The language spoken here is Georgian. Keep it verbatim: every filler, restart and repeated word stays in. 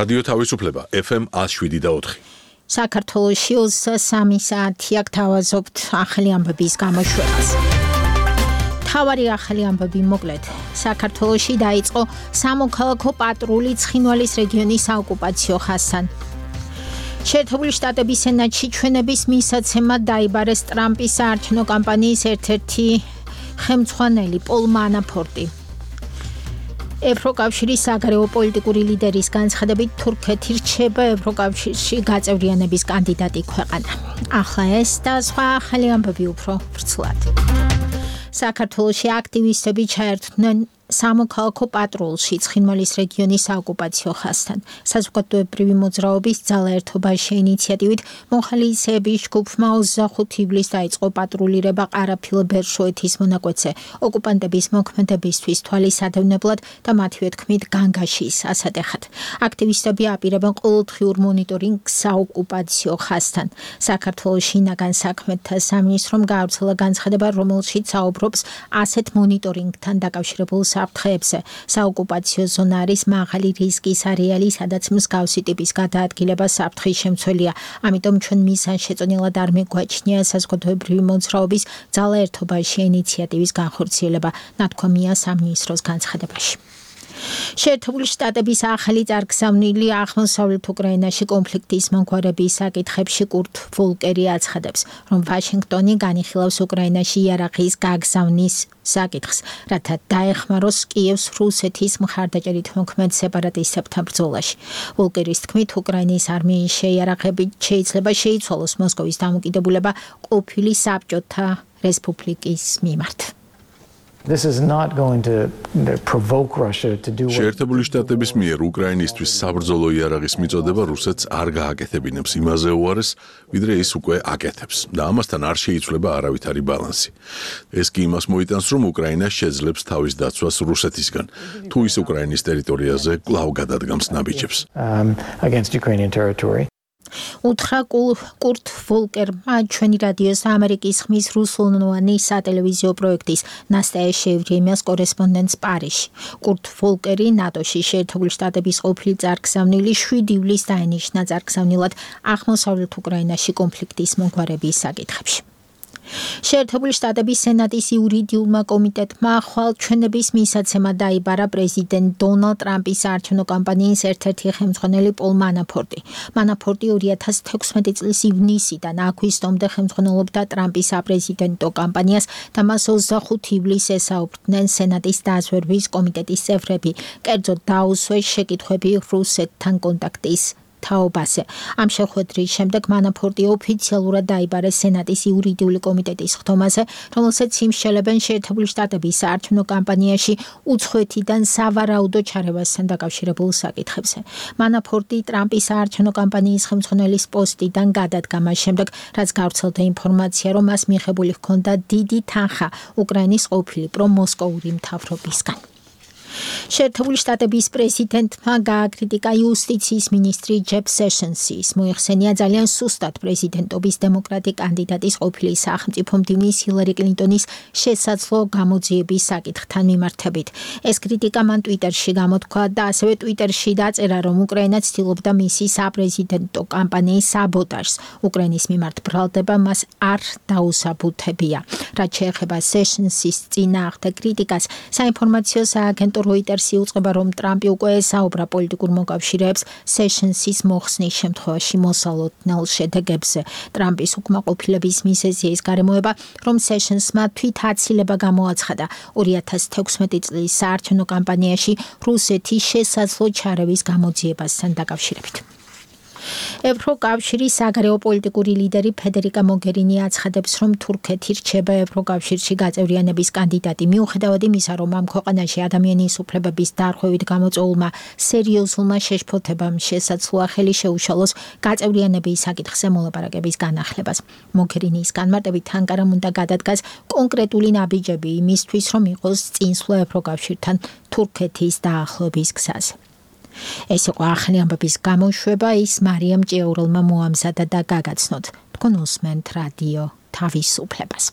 რადიო თავისუფლება ეფ ემ ათს შვიდი და ოთხი. საქართველოში ოცდასამი საათი აქ თავაზობთ ახალი ამბების გამოშვებას. თავარი ახალი ამბები მოკლედ. საქართველოში დაიწყო სამოქალაქო პატრული ცხინვალის რეგიონის საოკუპაციო ხაზთან. შეერთებული შტატების სენატში ჩვენების მისაცემად დაიბარეს ტრამპის საარჩევნო კამპანიის ერთ-ერთი ხელმძღვანელი პოლ მანაფორტი. ევროკავშირის საგარეო პოლიტიკური ლიდერის განცხადებით თურქეთი რჩება ევროკავშირში გაწევრიანების კანდიდატი ქვეყანა. ახლა ეს და სხვა ახალი ამბები უფრო ვრცლად. საქართველოში აქტივისტები ჩაერთვნენ სამოქალაქო პატრულში ცხინვალის რეგიონის საოკუპაციო ხაზთან. საზოგადოებრივი მოძრაობის ძალაერთობის შეინიციატივით მოხალისეების ჯგუფმა ოცდახუთი ივლისს დაიწყო პატრულირება ყარაფილ-ბერშოეთის მონაკვეთზე ოკუპანტების მოქმედებისთვის თვალისადევნებლად და მათივე თქმით განგაშის ასატეხად. აქტივისტები აპირებენ ყოველდღიურ მონიტორინგს საოკუპაციო ხაზთან. საქართველოს შინაგან საქმეთა სამინისტრომ გაავრცელა განცხადება, რომელშიც საუბრობს ასეთ მონიტორინგთან დაკავშირებულ საფრთხეებზე. საოკუპაციო ზონა არის მაღალი რისკის არეალი, სადაც მსგავსი ტიპის გადაადგილება საფრთხის შემცველია. ამიტომ ჩვენ მიზანშეწონილად არ მეგვაჩნია საზოგადოებრივი მოძრაობის ძალაერთობის შეინიციატივის განხორციელება, ნათქვამია სამინისტროს განცხადებაში. შეერთებული შტატების ახალი წარგზავნილი აღმოსავლეთ უკრაინაში კონფლიქტის მომხმარების საკითხებში კურტ ვოლკერი აცხადებს, რომ ვაშინგტონი განიხილავს უკრაინაში იარაღის გაგზავნის საკითხს, რათა დაეხმაროს კიევს რუსეთის მხარდაჭერით მოქმედ სეპარატისტებთან ბრძოლაში. ვოლკერის თქმით, უკრაინის არმიის შეიარაღებით შეიძლება შეიცვალოს მოსკოვის დამოკიდებულება ყოფილი საბჭოთა რესპუბლიკის მიმართ. This is not going to provoke Russia to do what შეერთებული შტატების მიერ უკრაინისთვის საბრძოლო იარაღის მიწოდება რუსეთს არ გააკეთებინებს იმაზე უარეს, ვიდრე ის უკვე აკეთებს და ამასთან არ შეიცვლება არავითარი ბალანსი. ეს კი იმას მოიტანს, რომ უკრაინა შეძლებს თავის დაცვას რუსეთისგან, თუ ის უკრაინის ტერიტორიაზე კვლავ გადადგამს ნაბიჯებს. um, against Ukrainian territory. უთხრა კურტ ვოლკერმა ჩვენი რადიოს ამერიკის ხმის რუსულენოვანი სატელევიზიო პროექტის ნასტაია შეევრიემიას კორესპონდენტს პარიზში. კურტ ვოლკერი ნატოში შეერთებული შტატების ყოფილი წარგზავნილი შვიდი ივლისს დაინიშნა წარგზავნილად აღმოსავლეთ უკრაინაში კონფლიქტის მომხმარების საკითხებში. შეერთებული შტატების სენატის იურიდიულმა კომიტეტმა ხვალ ჩვენების მისაცემად დაიბარა პრეზიდენტ დონალდ ტრამპის საარჩევნო კამპანიის ერთ-ერთი ხელმძღვანელი პოლ მანაფორტი. მანაფორტი ორი ათას თექვსმეტი წლის ივნისიდან აგვისტომდე ხელმძღვანელობდა ტრამპის საპრეზიდენტო კამპანიას და მას ოცდახუთი ივლისს ესაუბრდნენ სენატის დაზვერვის კომიტეტის წევრები. კერძოდ დაუსვეს შეკითხვები რუსეთთან კონტაქტის თაობაზე. ამ შეხვედრის შემდეგ მანაფორტი ოფიციალურად დაიბარეს სენატის იურიდიული კომიტეტის ხდომაზე, რომელსაც იმსჯელებენ შეერთებული შტატების საარჩევნო კამპანიაში უცხოეთიდან სავარაუდო ჩარევასთან დაკავშირებულ საკითხებზე. მანაფორტი ტრამპის საარჩევნო კამპანიის ხელმძღვანელის პოსტიდან გადადგა მას შემდეგ, რაც გავრცელდა ინფორმაცია, რომ მას მიღებული ჰქონდა დიდი თანხა უკრაინის ყოფილი პრომოსკოვური მთავრობისგან. შეერთებული შტატების პრეზიდენტმა გააკრიტიკა იუსტიციის მინისტრი ჯეფ სეშენსის. მოიხსენია ძალიან სუსტად პრეზიდენტობის დემოკრატი კანდიდატის ყოფილი სახელმწიფო მდივნის ჰილარი კლინტონის შესაძლო გამოძიების საკითხთან მიმართებით. ეს კრიტიკა მან ტვიტერში გამოთქვა და ასევე ტვიტერში დაწერა, რომ უკრაინა ცდილობდა მისი საპრეზიდენტო კამპანიის საბოტაჟს. უკრაინის მიმართ ბრალდება მას არ დაუსაბუთებია. რაც შეეხება სეშენსის წინააღმდეგ კრიტიკას, საინფორმაციო სააგენტო როიტერსი უწყება, რომ ტრამპი უკვე ესაუბრა პოლიტიკურ მოკავშირეებს სეშენსის მოხსნის შემთხვევაში მოსალოდნელ შედეგებზე. ტრამპის უკმაყოფილების მიზეზია ის გარემოება, რომ სეშენსმა თვითაცილება გამოაცხადა ორი ათას თექვსმეტი წლის საარჩევნო კამპანიაში რუსეთის შესაძლო ჩარევის გამოძიებასთან დაკავშირებით. ევროკავშირის საგარეო პოლიტიკური ლიდერი ფედერიკა მოგერინი აცხადებს, რომ თურქეთი რჩება ევროკავშირში გაწევრიანების კანდიდატი, მიუხედავად იმისა, რომ ამ ქვეყანაში ადამიანის უფლებების დარღვევით გამოწვეულმა სერიოზულმა შეშფოთებამ შესაძლოა ხელი შეუშალოს გაწევრიანების საკითხზე მოლაპარაკების განახლებას. მოგერინის განმარტებით ანკარამ უნდა გადადგას კონკრეტული ნაბიჯები იმისთვის, რომ იყოს წინსვლა ევროკავშირთან თურქეთის დაახლოების გზაზე. ეს იყო ახალი ამბების გამოშვება, ის მარიამ ჭიაურელმა მოამზადა და გაგაცნოთ. თქვენ უსმენთ რადიო თავისუფლებას.